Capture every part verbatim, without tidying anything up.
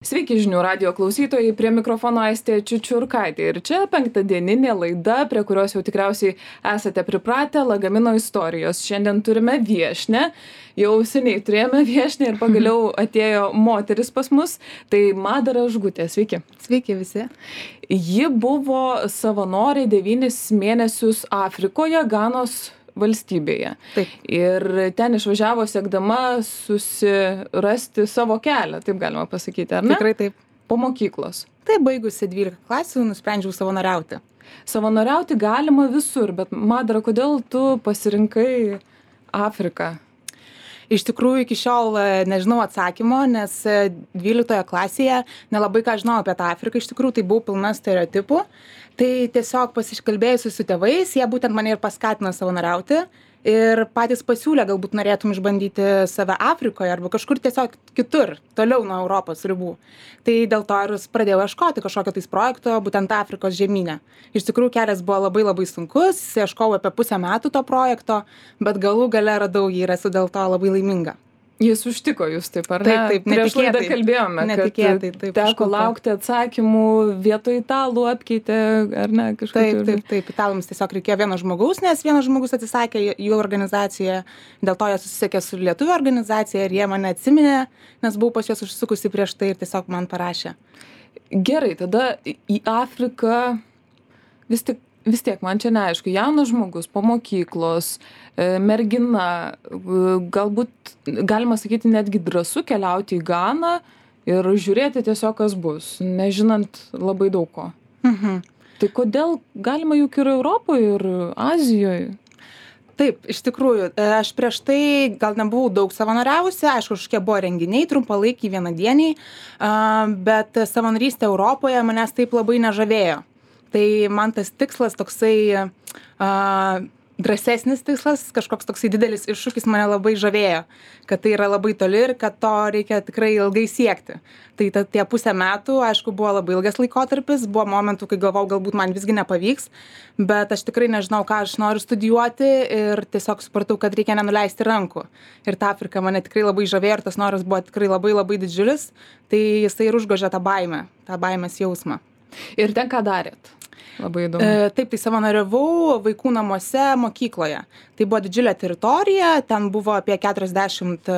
Sveiki žinių radijo klausytojai, prie mikrofono Aistė Čiučiurkaitė ir čia penktadieninė laida, prie kurios jau tikriausiai esate pripratę, Lagamino istorijos. Šiandien turime viešnią, jau seniai turėjome viešnią ir pagaliau atėjo moteris pas mus, tai Madara Žgutė, sveiki. Sveiki visi. Ji buvo savanorė devynis mėnesius Afrikoje, Ganos valstybėje. Taip. Ir ten išvažiavo siekdama susirasti savo kelią, taip galima pasakyti, ar ne? Tikrai taip. Po mokyklos. Taip, baigusi dvylika klasių, nusprendžiau savanoriauti. Savanoriauti galima visur, bet Madara, kodėl tu pasirinkai Afriką? Iš tikrųjų, iki šiol nežinau atsakymo, nes dvyliktoje klasėje nelabai ką žinau apie tą Afriką. Iš tikrųjų, tai buvau pilna stereotipų. Tai tiesiog pasikalbėjusi su tėvais, jie būtent mane ir paskatino savanoriauti. Ir patys pasiūlė, galbūt norėtum išbandyti save Afrikoje arba kažkur tiesiog kitur, toliau nuo Europos ribų. Tai dėl to ir pradėjau ieškoti kažkokio tais projekto, būtent Afrikos žemyne. Iš tikrųjų, kelias buvo labai labai sunkus, ieškojau apie pusę metų to projekto, bet galų gale radau jį ir esu dėl to labai laiminga. Jis užtiko jūs taip, ar ne? Taip, taip, Prieš laidą netikėtai. kalbėjome, Netikėtai, kad taip, teko užklupo. laukti atsakymų, vietoj italų apkeitė, ar ne? Taip, Kažkokiu- taip, taip. Italams tiesiog reikėjo vieno žmogaus, nes vienas žmogus atsisakė jų organizacijoje, dėl to jie susisiekė su lietuvių organizacija ir jie mane atsiminė, nes buvau pas juos užsukusi prieš tai ir tiesiog man parašė. Gerai, tada į Afriką vis tik vis tiek man čia neaišku, jaunas žmogus po mokyklos, e, mergina, e, galbūt galima sakyti netgi drąsu keliauti į Ganą ir žiūrėti tiesiog kas bus, nežinant labai daug ko. Mhm. Tai kodėl galima juk ir Europoje, ir Azijoje? Taip, iš tikrųjų, e, aš prieš tai gal nebuvau daug savanoriavusi, aišku, kažkokie buvo renginiai, trumpalaikiai, vienadieniai, a, bet savanorystė Europoje manęs taip labai nežavėjo. Tai man tas tikslas toksai a, drąsesnis tikslas, kažkoks toksai didelis iššūkis mane labai žavėjo, kad tai yra labai toli ir kad to reikia tikrai ilgai siekti. Tai ta, tie pusę metų, aišku, buvo labai ilgas laikotarpis, buvo momentų, kai galvau, galbūt man visgi nepavyks, bet aš tikrai nežinau, ką aš noriu studijuoti ir tiesiog supratau, kad reikia nenuleisti rankų. Ir ta Afrika mane tikrai labai žavėjo ir tas noras buvo tikrai labai labai didžiulis, tai jisai ir užgožė tą baimę, tą baimės jausmą. Ir ten ką darėt? Labai įdomu. E, taip, tai savanoriavau vaikų namuose mokykloje. Tai buvo didžiulė teritorija, ten buvo apie keturiasdešimt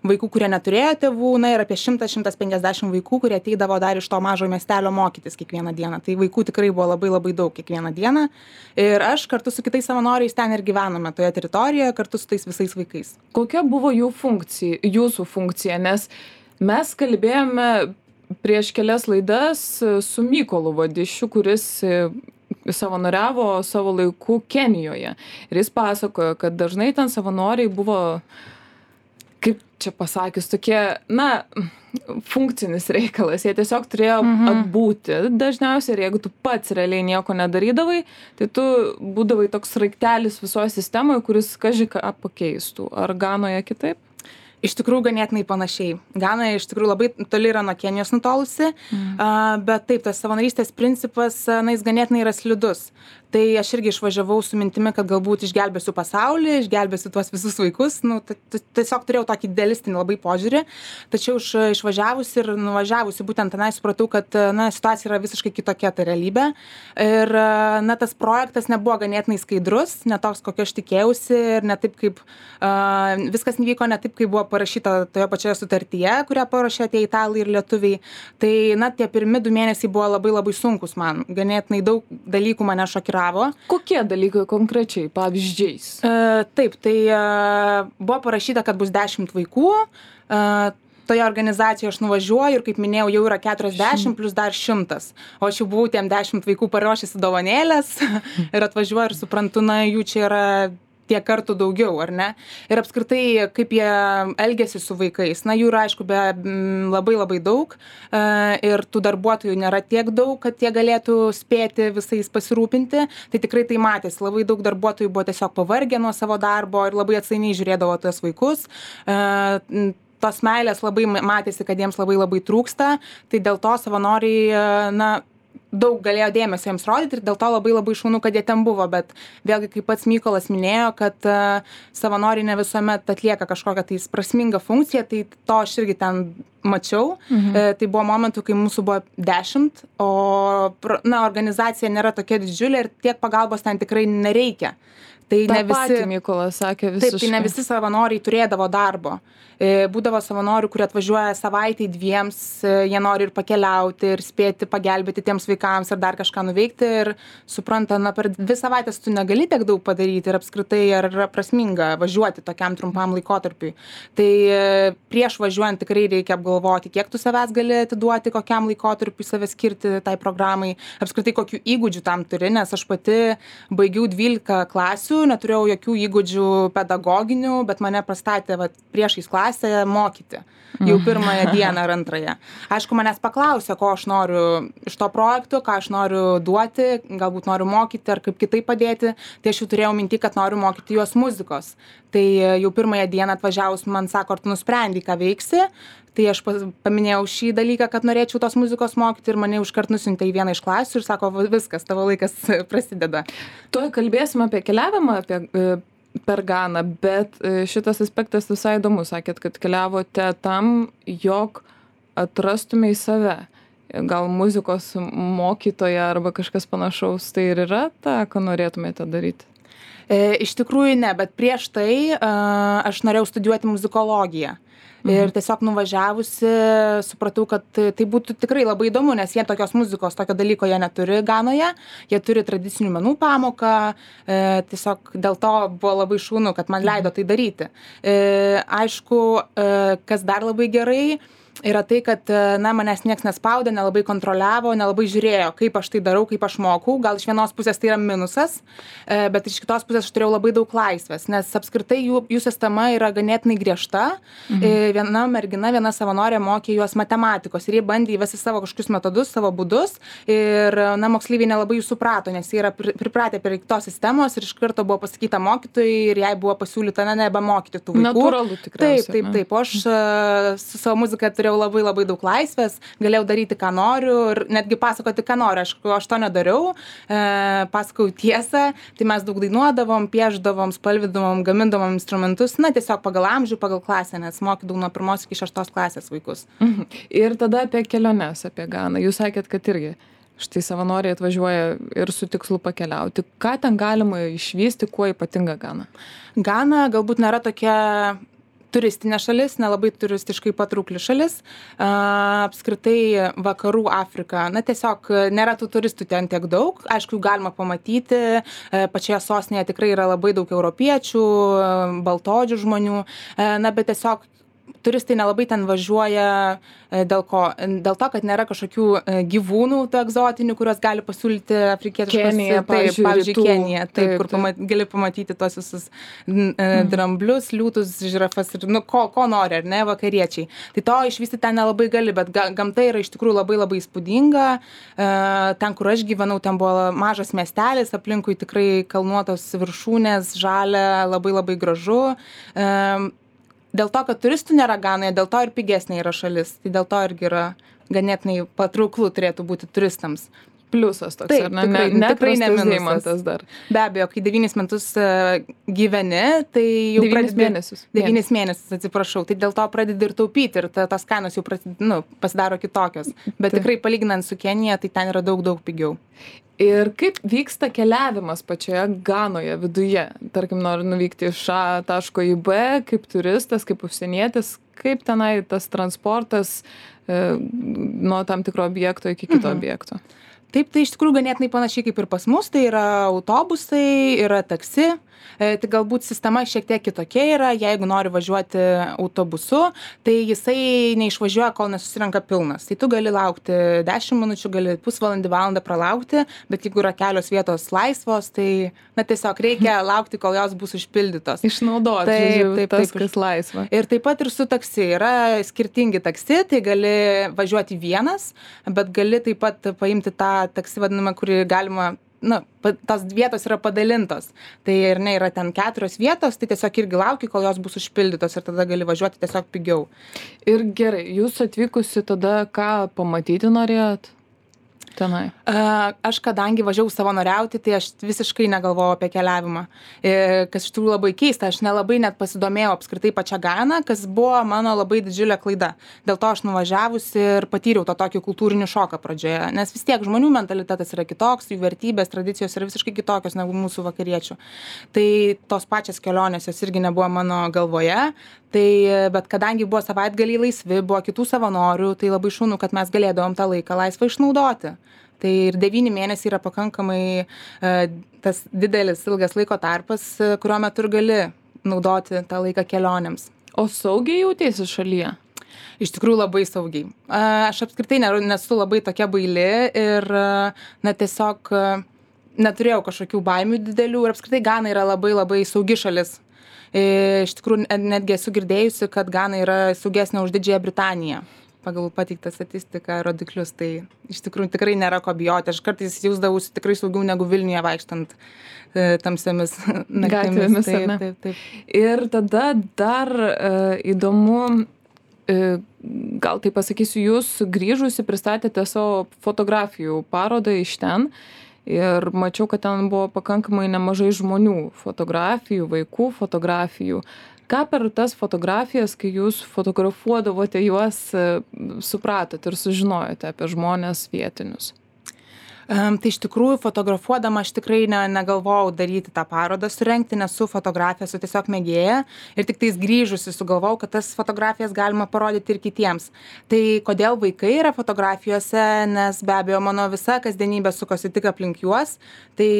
vaikų, kurie neturėjo tėvų, na ir apie šimtas šimtas penkiasdešimt vaikų, kurie ateidavo dar iš to mažo miestelio mokytis kiekvieną dieną. Tai vaikų tikrai buvo labai labai daug kiekvieną dieną. Ir aš kartu su kitais savanoriais ten ir gyvenome toje teritorijoje, kartu su tais visais vaikais. Kokia buvo jų funkcija, jūsų funkcija? Nes mes kalbėjome prieš kelias laidas su Mykolu Vadišiu, kuris savanoriavo savo laiku Kenijoje. Ir jis pasakojo, kad dažnai ten savanoriai buvo, kaip čia pasakius, tokie, na, funkcinis reikalas. Jie tiesiog turėjo mhm. atbūti dažniausiai ir jeigu tu pats realiai nieko nedarydavai, tai tu būdavai toks raiktelis visoje sistemoje, kuris kaži ką pakeistų. Ar Ganoje kitaip? Iš tikrųjų, ganėtinai panašiai. Gana iš tikrųjų labai toli yra nuo Kenijos nutolusi, mm. a, bet taip, tas savanorystės principas, na, jis ganėtinai yra slidus. Tai aš irgi išvažiavau su mintimi, kad galbūt išgelbėsiu pasaulį, išgelbėsiu tuos visus vaikus. Nu, tiesiog turėjau tokį idealistinį labai požiūrį. Tačiau iš, išvažiavusi ir nuvažiavusi būtent tenai supratau, kad na, situacija yra visiškai kitokia ta realybė. Ir na, tas projektas nebuvo ganėtinai skaidrus, ne toks, kokio aš tikėjausi ir ne taip, kaip uh, viskas nevyko ne taip, kaip buvo parašyta toje pačioje sutartyje, kurią parašė tie italai ir lietuviai. Tai na, tie pirmi du mėnesiai buvo labai labai sunkus man. Ganėtinai daug dalykų mane šokiravo. Kokie dalykai konkrečiai, pavyzdžiais? E, taip, tai e, buvo parašyta, kad bus dešimt vaikų. E, toje organizacijoje aš nuvažiuoju ir, kaip minėjau, jau yra keturiasdešimt plus dar šimtas. O aš jau buvau tiem dešimt vaikų paruošęs dovanėlės ir atvažiuoju ir suprantu, na, jų čia yra tiek kartų daugiau, ar ne? Ir apskritai, kaip jie elgiasi su vaikais. Na, jų yra, aišku, be m, labai labai daug e, ir tų darbuotojų nėra tiek daug, kad jie galėtų spėti visais pasirūpinti. Tai tikrai tai matėsi. Labai daug darbuotojų buvo tiesiog pavargę nuo savo darbo ir labai atsainiai žiūrėdavo tuos vaikus. E, tos meilės labai matėsi, kad jiems labai labai trūksta. Tai dėl to savanoriai, na, daug galėjo dėmesio jiems rodyti ir dėl to labai labai šaunu, kad jie ten buvo, bet vėlgi, kaip pats Mykolas minėjo, kad uh, savanoriai ne visuomet atlieka kažkokią tai prasmingą funkciją, tai to aš irgi ten mačiau. Mhm. E, tai buvo momentų, kai mūsų buvo dešimt, o na, organizacija nėra tokia didžiulė ir tiek pagalbos ten tikrai nereikia. Tai Ta ne visi, patį Mykolas sakė visiškai. Taip, tai ne visi savanoriai turėdavo darbo. E, būdavo savanorių, kurie atvažiuoja savaitai dviems, e, jie nori ir pakeliauti, ir spėti pagelbėti tiems vaikams, ar dar kažką nuveikti. Ir supranta, na, per dvi savaitės tu negali tiek daug padaryti ir apskritai ar yra prasminga važiuoti tokiam trumpam laikotarpiui. Tai e, prieš važiuojant tikrai reikia apgalvoti, kiek tu savęs gali atiduoti, kokiam laikotarpiui save skirti tai programai, apskritai kokių įgūdžių tam turi, nes aš pati baigiau dvylika klasių, neturėjau jokių įgūdžių pedagoginių, bet mane pastatė vat, priešais klasę mokyti jau pirmąją dieną ar antrąją. Aišku, manęs paklausė, ko aš noriu iš to projekto, ką aš noriu duoti, galbūt noriu mokyti ar kaip kitaip padėti, tai aš jau turėjau minti, kad noriu mokyti juos muzikos. Tai jau pirmąją dieną atvažiavus man sako, ar tu nusprendai, ką veiksi, tai aš paminėjau šį dalyką, kad norėčiau tos muzikos mokyti ir mane užkart nusiuntė į vieną iš klasių ir sako, viskas, tavo laikas prasideda. Tuoj kalbėsim apie keliavimą, apie per Ganą, bet šitas aspektas visai įdomus. Sakėt, kad keliavote tam, jog atrastumei save. Gal muzikos mokytoja arba kažkas panašaus, tai ir yra ta, ką norėtumėte daryti? E, iš tikrųjų ne, bet prieš tai uh, aš norėjau studijuoti muzikologiją. Ir tiesiog nuvažiavusi supratau, kad tai būtų tikrai labai įdomu, nes jie tokios muzikos, tokio dalyko jie neturi Ganoje, jie turi tradicinių menų pamoką, e, tiesiog dėl to buvo labai šaunu, kad man leido tai daryti. E, aišku, e, kas dar labai gerai, yra tai, kad na, manęs nieks nespaudė, nelabai kontroliavo, nelabai žiūrėjo, kaip aš tai darau, kaip aš mokau. Gal iš vienos pusės tai yra minusas, bet iš kitos pusės aš turėjau labai daug laisvės, nes apskritai jų, jų sistema yra ganėtinai griežta. Mhm. Viena mergina, viena savanorė mokė juos matematikos ir jie bandė įvesti savo kažkokius metodus, savo būdus ir na, moksleiviai nelabai jų suprato, nes jie yra pripratę prie tos sistemos ir iš karto buvo pasakyta mokytojai ir jai buvo pasiūlyta, na, nebemokyti tų vaikų. Natūralu tikriausiai. Taip, taip, taip. O aš su savo muzika turėjau labai labai daug laisvės, galėjau daryti, ką noriu ir netgi pasakoti, ką noriu. Aš, aš to nedariau, e, pasakau tiesą, tai mes daug dainuodavom, pieždavom, spalvidavom, gamindavom instrumentus, na tiesiog pagal amžių, pagal klasę, nes mokydavau nuo pirmos iki šeštos klasės vaikus. Mhm. Ir tada apie keliones, apie Ganą. Jūs sakėt, kad irgi štai savanoriai atvažiuoja ir su tikslu pakeliauti. Ką ten galima išvysti, kuo ypatinga Gana? Gana galbūt nėra tokia turistinė šalis, nelabai turistiškai patraukli šalis. A, apskritai vakarų Afrika, na tiesiog nėra tų turistų ten tiek daug. Aišku, galima pamatyti, pačioje sostinėje tikrai yra labai daug europiečių, baltaodžių žmonių, na bet tiesiog turistai nelabai ten važiuoja dėl ko? Dėl to, kad nėra kažkokių gyvūnų tų egzotinių, kuriuos gali pasiūlyti afrikietiškos. Kenija, taip, pavyzdžiui, Kenija, taip, taip, kur taip. Pamat, gali pamatyti tos visus mhm. dramblius, liūtus, žirafas ir nu, ko, ko nori, ar ne, vakariečiai. Tai to išvysti ten nelabai gali, bet ga, gamta yra iš tikrųjų labai labai įspūdinga. Ten, kur aš gyvenau, ten buvo mažas miestelis, aplinkui tikrai kalnuotos viršūnės, žalia, labai labai gražu. Dėl to, kad turistų nėra Ganoje, dėl to ir pigesnė yra šalis. Tai dėl to irgi yra ganėtinai patrauklų turėtų būti turistams. Pliusas toks, taip, ar ne? Tikrai, ne tikrai ne minusas dar. Be abejo, kai devynis metus uh, gyveni, tai jau devynis pradedi... mėnesius. Devynis mėnesius, atsiprašau. Tai dėl to pradedi ir taupyti ir ta, tos kainos jau prasid, nu, pasidaro kitokios. Bet tai. Tikrai palyginant su Kenija, tai ten yra daug, daug pigiau. Ir kaip vyksta keliavimas pačioje Ganoje viduje? Tarkim, noriu nuvykti iš A taško į B, kaip turistas, kaip užsienietis, kaip tenai tas transportas e, nuo tam tikro objekto iki kito mhm. objekto? Taip, tai iš tikrųjų ganėtinai panašiai kaip ir pas mus, tai yra autobusai, yra taksi, e, tai galbūt sistema šiek tiek kitokia yra, jeigu nori važiuoti autobusu, tai jisai neišvažiuoja, kol nesusirenka pilnas. Tai tu gali laukti dešimt minučių, gali pusvalandį, valandą pralaukti, bet jeigu yra kelios vietos laisvos, tai na, tiesiog reikia laukti, kol jos bus užpildytos. Išnaudoti, taip, žiūrėjau, taip, tas, taip, kas laisva. Ir taip pat ir su taksi. Yra skirtingi taksi, tai gali važiuoti vienas, bet gali taip pat paimti tą taksi vadinamą, kurį galima, na, tos vietos yra padalintos. Tai ir ne, yra ten keturios vietos, tai tiesiog irgi lauki, kol jos bus užpildytos ir tada gali važiuoti tiesiog pigiau. Ir gerai, jūs atvykusi tada ką pamatyti norėjot? tenai? Aš kadangi važiavau savanoriauti, tai aš visiškai negalvojau apie keliavimą. Kas iš tikrųjų labai keista, aš nelabai net pasidomėjau apskritai pačią Ganą, kas buvo mano labai didžiulė klaida. Dėl to aš nuvažiavusi ir patyriau tą tokį kultūrinį šoką pradžioje, nes vis tiek žmonių mentalitetas yra kitoks, jų vertybės, tradicijos yra visiškai kitokios negu mūsų vakariečių. Tai tos pačios kelionės jos irgi nebuvo mano galvoje, tai, bet kadangi buvo savaitgaliai laisvi, buvo kitų savanorių, tai labai šaunu, kad mes galėdavom tą laiką laisvą išnaudoti. Tai ir devyni mėnesiai yra pakankamai tas didelis, ilgas laiko tarpas, kurio metu ir gali naudoti tą laiką kelionėms. O saugiai jautiesi šalyje? Iš tikrųjų labai saugiai. Aš apskritai nesu labai tokia baili ir na, tiesiog neturėjau kažkokių baimių didelių ir apskritai Gana yra labai labai saugi šalis. Iš tikrųjų netgi esu girdėjusi, kad Gana yra saugesnė už Didžiąją Britaniją. Pagal pateiktą statistiką, rodiklius, tai iš tikrųjų tikrai nėra ko bijoti. Aš kartais jausdavausi tikrai saugiau negu Vilniuje vaikštant e, tamsiamis gatvėmis. Taip, taip, taip. Ir tada dar e, įdomu, e, gal tai pasakysiu, jūs grįžusi pristatėte savo fotografijų parodą iš ten ir mačiau, kad ten buvo pakankamai nemažai žmonių fotografijų, vaikų fotografijų. Ką per tas fotografijas, kai jūs fotografuodavote juos, supratot ir sužinojote apie žmones vietinius? Um, tai iš tikrųjų fotografuodama aš tikrai ne, negalvojau daryti tą parodą surengti, nesu fotografija, esu tiesiog mėgėja ir tik tais grįžusi sugalvojau, kad tas fotografijas galima parodyti ir kitiems. Tai kodėl vaikai yra fotografijose, nes be abejo mano visa kasdienybė sukosi tik aplink juos, tai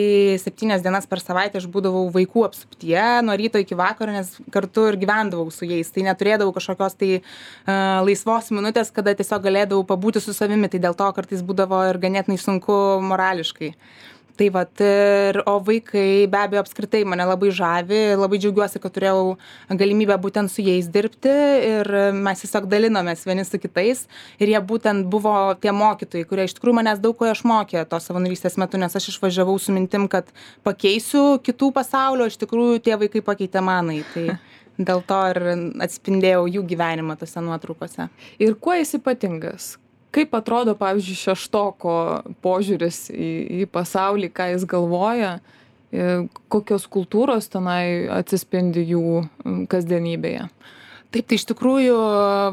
septynias dienas per savaitę aš būdavau vaikų apsuptyje nuo ryto iki vakaro, nes kartu ir gyvendavau su jais, tai neturėdavau kažkokios tai uh, laisvos minutės, kada tiesiog galėdavau pabūti su savimi, tai dėl to kartais būdavo ir ganėtinai sunku morališkai. Tai vat, ir, o vaikai be abejo apskritai mane labai žavi, labai džiaugiuosi, kad turėjau galimybę būtent su jais dirbti ir mes tiesiog dalinomės vieni su kitais ir jie būtent buvo tie mokytojai, kurie iš tikrųjų manęs daug ko išmokė to savanorystės metu, nes aš išvažiavau su mintim, kad pakeisiu kitų pasaulio, iš tikrųjų tie vaikai pakeitė manai. Tai dėl to ir atspindėjau jų gyvenimą tose nuotraukose. Ir kuo jis ypatingas? Kaip atrodo, pavyzdžiui, šeštoko požiūris į, į pasaulį, ką jis galvoja, kokios kultūros tenai atsispindi jų kasdienybėje? Taip, tai iš tikrųjų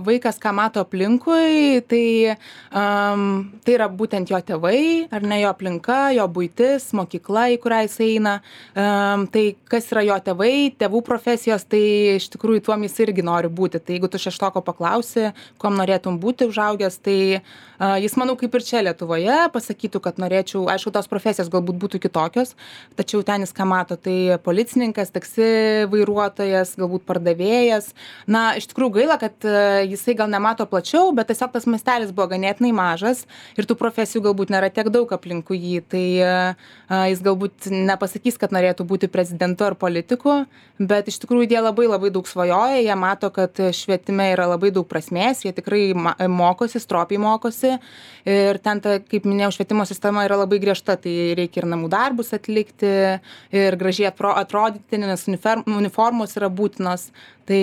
vaikas, ką mato aplinkui, tai, um, tai yra būtent jo tėvai, ar ne jo aplinka, jo buitis, mokykla, į kurią jis eina. Um, tai kas yra jo tėvai, tėvų profesijos, tai iš tikrųjų tuom jis irgi nori būti. Tai jeigu tu šeštoko paklausi, kuom norėtum būti užaugęs, tai uh, jis, manau, kaip ir čia Lietuvoje, pasakytų, kad norėčiau, aišku, tos profesijos galbūt būtų kitokios, tačiau ten jis ką mato, tai policininkas, taksi vairuotojas, galbūt pardavėjas. Na, iš tikrųjų gaila, kad jisai gal nemato plačiau, bet tiesiog tas mastelis buvo ganėtinai mažas ir tų profesijų galbūt nėra tiek daug aplinkui jį. Tai a, jis galbūt nepasakys, kad norėtų būti prezidentu ar politiku, bet iš tikrųjų jie labai labai daug svajoja, jie mato, kad švietime yra labai daug prasmės, jie tikrai mokosi, stropiai mokosi ir ten, ta, kaip minėjau, švietimo sistema yra labai griežta, tai reikia ir namų darbus atlikti ir gražiai atrodyti, nes uniformos yra būtinos. Tai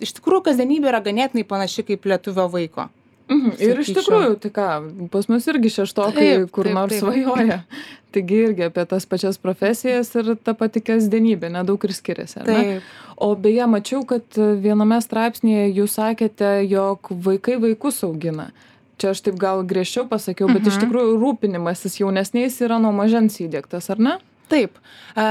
iš tikrųjų kasdienybė yra ganėtinai panaši kaip lietuvio vaiko. Mhm. Ir iš tikrųjų, tai ką, pas mus irgi šeštokai Taip, kur taip, nors taip. svajoja. Taigi irgi apie tas pačias profesijas ir ta pati kasdienybė, nedaug ir skiriasi. Ar ne? Taip. O beje, mačiau, kad viename straipsnėje jūs sakėte, jog vaikai vaikus augina. Čia aš taip gal griežčiau pasakiau, bet iš tikrųjų rūpinimasis jaunesniais yra nuo mažens įdiegtas, ar ne? Taip. E,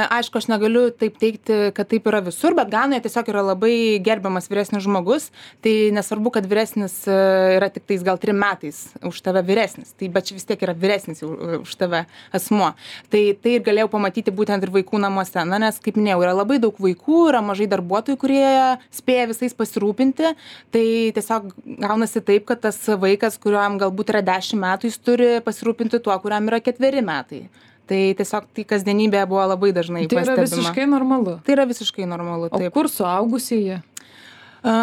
aišku, aš negaliu taip teigti, kad taip yra visur, bet Ganoje tiesiog yra labai gerbiamas vyresnis žmogus. Tai nesvarbu, kad vyresnis e, yra tik tais gal trim metais už tave vyresnis. Tai bet vis tiek yra vyresnis už tave asmuo. Tai tai ir galėjau pamatyti būtent ir vaikų namuose. Na, nes, kaip minėjau, yra labai daug vaikų, yra mažai darbuotojų, kurie spėja visais pasirūpinti. Tai tiesiog gaunasi taip, kad tas vaikas, kuriam galbūt yra dešimt metų, jis turi pasirūpinti tuo, kuriam yra ketveri metai. Tai tiesiog tai kasdienybė buvo labai dažnai Tai yra pastebima. visiškai normalu. Tai yra visiškai normalu, O taip. kur suaugusieji? A,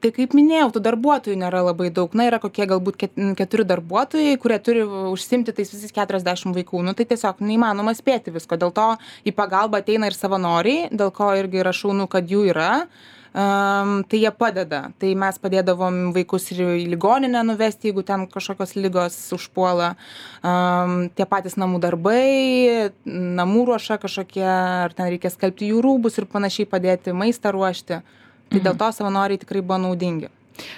tai kaip minėjau, tų darbuotojų nėra labai daug. Na, yra kokie galbūt ket- keturi darbuotojai, kurie turi užsimti tais visais keturiasdešimt vaikų. Nu, tai tiesiog neįmanoma spėti visko. Dėl to į pagalbą ateina ir savanoriai, dėl ko irgi yra šaunu, kad jų yra. um, tai jie padeda. Tai mes padėdavom vaikus ir į ligoninę nuvesti, jeigu ten kažkokios ligos užpuola. Um, tie patys namų darbai, namų ruoša kažkokie, ar ten reikia skalbti jų rūbus ir panašiai padėti maistą ruošti. Tai dėl to savanoriai tikrai buvo naudingi.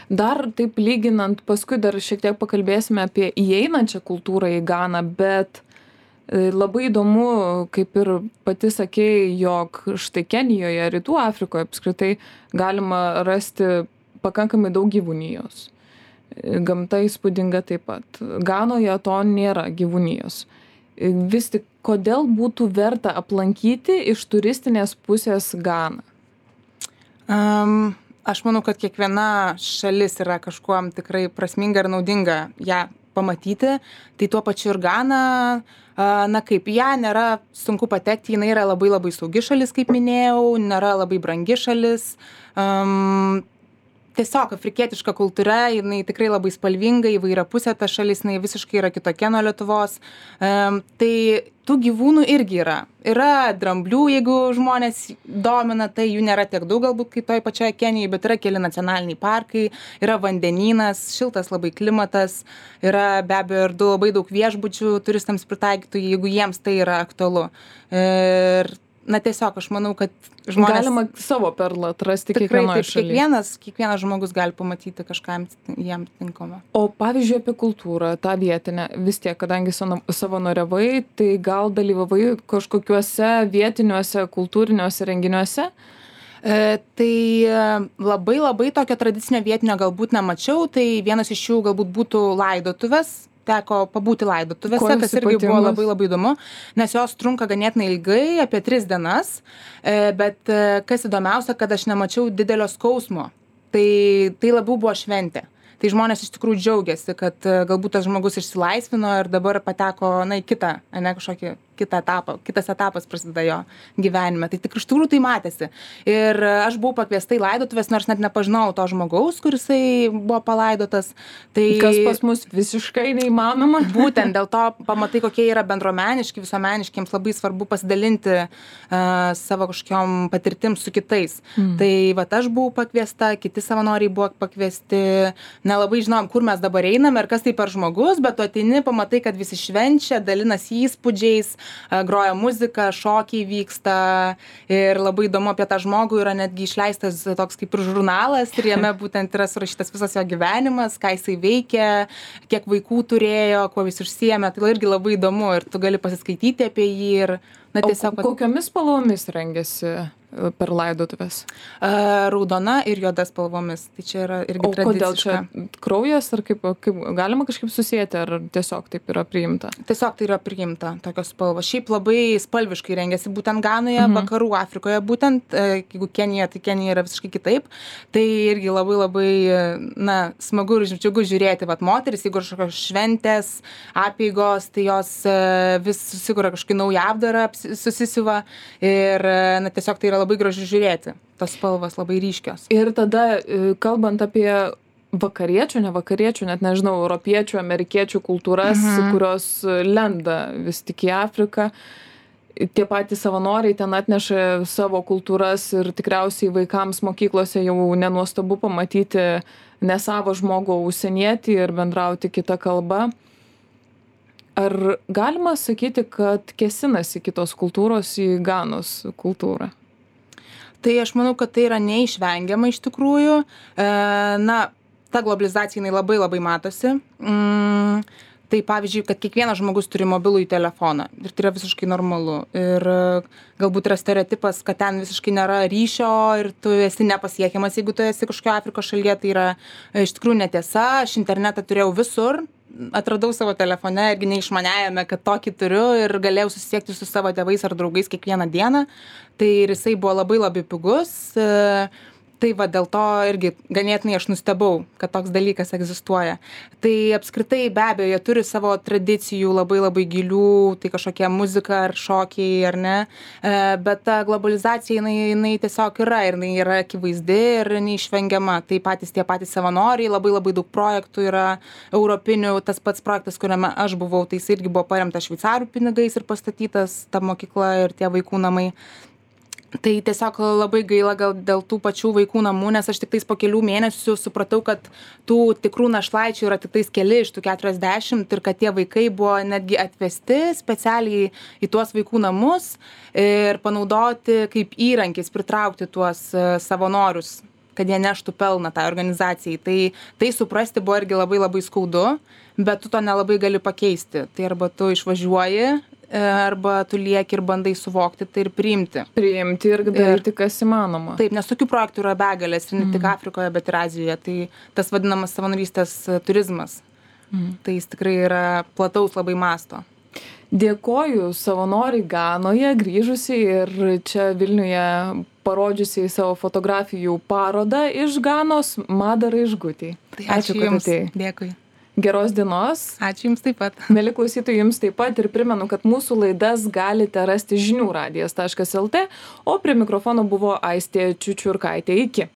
Dar taip lyginant, paskui dar šiek tiek pakalbėsime apie įeinančią kultūrą į Ganą, bet labai įdomu, kaip ir pati sakei, jog štai Kenijoje, Rytų Afrikoje apskritai galima rasti pakankamai daug gyvūnijos. Gamta įspūdinga taip pat. Ganoje to nėra gyvūnijos. Vis tik, kodėl būtų verta aplankyti iš turistinės pusės Ganą? Um, aš manau, kad kiekviena šalis yra kažkuom tikrai prasminga ir naudinga ją pamatyti. Tai tuo pačiu ir Gana, na kaip, ją nėra sunku patekti, jinai yra labai labai saugi šalis, kaip minėjau, nėra labai brangi šalis. Um, tiesiog afrikietiška kultūra, jinai tikrai labai spalvinga, įvairiapusė ta šalis, jinai visiškai yra kitokia nuo Lietuvos. Um, tai tų gyvūnų irgi yra. Yra dramblių, jeigu žmonės domina, tai jų nėra tiek daug galbūt kaip toj pačioje Kenijoje, bet yra keli nacionaliniai parkai, yra vandenynas, šiltas labai klimatas, yra be abejo ir labai daug viešbučių turistams pritaikytų, jeigu jiems tai yra aktualu. Ir na tiesiog aš manau, kad žmonės... Galima savo perlą atrasti Tikrai, kiekvienoje taip, šalyje. Kiekvienas, kiekvienas žmogus gali pamatyti kažką jam tinkamo. O pavyzdžiui apie kultūrą, tą vietinę, vis tiek, kadangi savanoriavai, tai gal dalyvavai kažkokiuose vietiniuose kultūriniuose renginiuose? E, tai labai labai tokio tradicinio vietinio galbūt nemačiau, tai vienas iš jų galbūt būtų laidotuvės. Teko pabūti laidotuvėse, kas irgi buvo labai labai įdomu, nes jos trunka ganėtinai ilgai, apie tris dienas, bet kas įdomiausia, kad aš nemačiau didelio skausmo, tai, tai labiau buvo šventė. Tai žmonės iš tikrųjų džiaugiasi, kad galbūt tas žmogus išsilaisvino ir dabar pateko, na, į kitą, ne kažkokį kitą etapą, kitas etapas prasideda jo gyvenime. Tai tik iš tikrųjų tai matėsi. Ir aš buvau pakviesta į laidotuvės, nors net nepažinau to žmogaus, kuris buvo palaidotas. Tai kas pas mus visiškai neįmanoma. Būtent dėl to pamatai, kokie yra bendruomeniški, visuomeniški, jiems labai svarbu pasidalinti uh, savo kažkokiom patirtim su kitais. Mm. Tai vat aš buvau pakviesta, kiti savanoriai buvo pakviesti, nelabai žinom, kur mes dabar einame ir kas tai per žmogus, bet tu ateini, pamatai, kad visi švenčia, dalinasi įspūdžiais, groja muzika, šokiai vyksta ir labai įdomu apie tą žmogų yra netgi išleistas toks kaip ir žurnalas ir jame būtent yra surašytas visas jo gyvenimas, ką jisai veikia, kiek vaikų turėjo, kuo jis užsiėmė, tai irgi labai įdomu ir tu gali pasiskaityti apie jį ir na tiesiog... O kokiomis spalvomis rengiasi per laidotuvės? Raudona ir juoda spalvomis. Tai čia yra irgi tradiciška. O kodėl čia kraujas, ar kaip, kaip galima kažkaip susijęti, ar tiesiog taip yra priimta? Tiesiog tai yra priimta, tokios spalvos. Šiaip labai spalviškai rengiasi būtent Ganoje, mhm. Vakarų Afrikoje, būtent, jeigu Kenija, tai Kenija yra visiškai kitaip. Tai irgi labai labai, na, smagu ir džiugu žiūrėti, vat moteris, jeigu kažkokios šventės, apeigos, tai jos vis susikuria kažkokį naują apdarą, susisiuva ir, na, tiesiog tai yra labai gražu žiūrėti, tos spalvos labai ryškios. Ir tada, kalbant apie vakariečių, ne vakariečių, net nežinau, europiečių, amerikiečių kultūras, mhm. kurios lenda vis tik į Afriką, tie patys savanoriai ten atneša savo kultūras ir tikriausiai vaikams mokyklose jau nenuostabu pamatyti ne savo žmogų užsienietį ir bendrauti kitą kalbą. Ar galima sakyti, kad kėsinasi kitos kultūros į Ganos kultūrą? Tai aš manau, kad tai yra neišvengiama iš tikrųjų. E, na, ta globalizacija jinai labai labai matosi. Mm, tai pavyzdžiui, kad kiekvienas žmogus turi mobilųjį telefoną ir tai yra visiškai normalu. Ir galbūt yra stereotipas, kad ten visiškai nėra ryšio ir tu esi nepasiekiamas, jeigu tu esi kažkokio Afrikos šalyje, tai yra iš tikrųjų netiesa. Aš internetą turėjau visur. Atradau savo telefone irgi neišmaniajame, kad tokį turiu ir galėjau susisiekti su savo tėvais ar draugais kiekvieną dieną. Tai ir jisai buvo labai labai pigus. Tai va dėl to irgi ganėtinai aš nustebau, kad toks dalykas egzistuoja. Tai apskritai be abejo, jie turi savo tradicijų labai labai gilių, tai kažkokia muzika ar šokiai ar ne. Bet ta globalizacija jinai, jinai tiesiog yra ir jinai yra akivaizdi ir neišvengiama. Tai patys tie patys savanoriai, labai labai daug projektų yra europinių. Tas pats projektas, kuriame aš buvau, tai jis irgi buvo paremtas šveicarų pinigais ir pastatytas ta mokykla ir tie vaikų namai. Tai tiesiog labai gaila gal dėl tų pačių vaikų namų, nes aš tik tais po kelių mėnesių supratau, kad tų tikrų našlaičių yra tik tais keli iš tų keturiasdešimt ir kad tie vaikai buvo netgi atvesti specialiai į tuos vaikų namus ir panaudoti kaip įrankis pritraukti tuos savanorius, kad jie neštų pelną tai organizacijai. Tai, tai suprasti buvo irgi labai labai skaudu, bet tu to nelabai gali pakeisti. Tai arba tu išvažiuoji, arba tu lieki ir bandai suvokti tai ir priimti. Priimti ir daryti, kas įmanoma. Taip, nes tokių projektų yra begalės, ir ne tik Afrikoje, bet ir Azijoje. Tai tas vadinamas savanorystės turizmas. Mm. Tai jis tikrai yra plataus labai masto. Dėkoju savanoriai Ganoje, grįžusiai ir čia Vilniuje parodžiusiai savo fotografijų parodą iš Ganos, Mada Raižgutei. Tai ačiū, ačiū jums. Dėkui. Geros dienos. Ačiū jums taip pat. Mieli klausytojai, jums taip pat ir primenu, kad mūsų laidas galite rasti žinių radijas taškas lt, o prie mikrofono buvo Aistė Čiučiurkaitė. Iki.